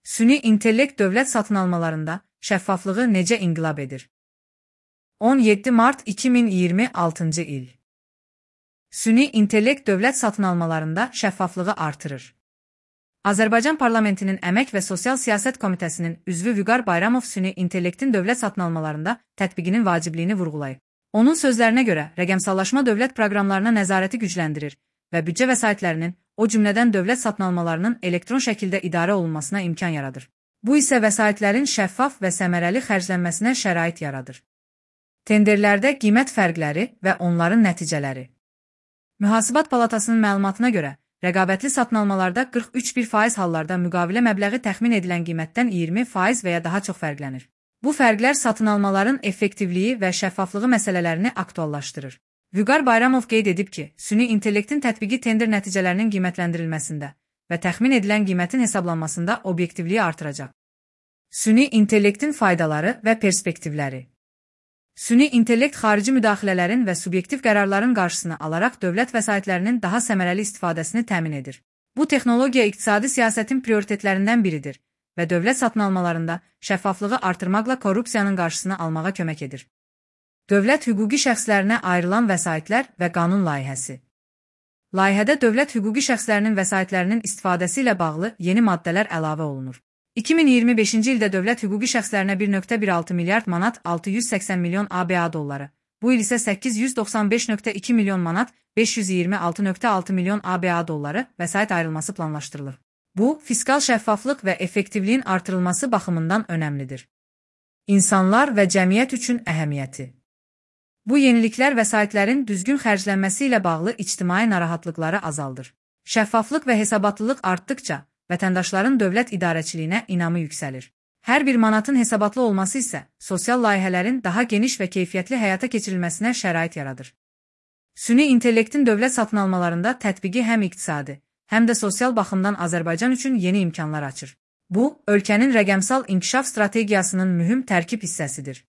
Süni intellekt dövlət satın almalarında şəffaflığı necə inqilab edir? 17 Mart 2026 il. Süni intellekt dövlət satın almalarında şəffaflığı artırır. Azərbaycan Parlamentinin Əmək və Sosial Siyasət Komitəsinin üzvü Vüqar Bayramov süni intellektin dövlət satın almalarında tətbiqinin vacibliyini vurğulayıb. Onun sözlərinə görə, rəqəmsallaşma dövlət proqramlarına nəzarəti gücləndirir və büdcə vəsaitlərinin, o cümlədən dövlət satın almalarının elektron şəkildə idarə olunmasına imkan yaradır. Bu isə vəsaitlərin şəffaf və səmərəli xərclənməsinə şərait yaradır. Tenderlərdə qiymət fərqləri və onların nəticələri. Mühasibat Palatasının məlumatına görə, rəqabətli satın almalarda 43% hallarda müqavilə məbləği təxmin edilən qiymətdən 20% və ya daha çox fərqlənir. Bu fərqlər satın almaların effektivliyi və şəffaflığı məsələlərini aktuallaşdırır. Vüqar Bayramov qeyd edib ki, süni intellektin tətbiqi tender nəticələrinin qiymətləndirilməsində və təxmin edilən qiymətin hesablanmasında obyektivliyi artıracaq. Süni intellektin faydaları və perspektivləri. Süni intellekt xarici müdaxilələrin və subyektiv qərarların qarşısını alaraq dövlət vəsaitlərinin daha səmərəli istifadəsini təmin edir. Bu texnologiya iqtisadi siyasətin prioritetlərindən biridir və dövlət satın almalarında şəffaflığı artırmaqla korrupsiyanın qarşısını almağa kömək edir. Dövlət hüquqi şəxslərinə ayrılan vəsaitlər və qanun layihəsi. Layihədə dövlət hüquqi şəxslərinin vəsaitlərinin istifadəsi ilə bağlı yeni maddələr əlavə olunur. 2025-ci ildə dövlət hüquqi şəxslərinə 1,16 milyard manat 680 milyon ABA dolları, bu il isə 895,2 milyon manat 526,6 milyon ABA dolları vəsait ayrılması planlaşdırılır. Bu, fiskal şəffaflıq və effektivliyin artırılması baxımından önəmlidir. İnsanlar və cəmiyyət üçün əhəmiyyəti. Bu yeniliklər vəsaitlərin düzgün xərclənməsi ilə bağlı ictimai narahatlıqları azaldır. Şəffaflıq və hesabatlılıq artdıqca, vətəndaşların dövlət idarəçiliyinə inamı yüksəlir. Hər bir manatın hesabatlı olması isə sosial layihələrin daha geniş və keyfiyyətli həyata keçirilməsinə şərait yaradır. Süni intellektin dövlət satın almalarında tətbiqi həm iqtisadi, həm də sosial baxımdan Azərbaycan üçün yeni imkanlar açır. Bu, ölkənin rəqəmsal inkişaf strategiyasının mühüm tərkib hissəsidir.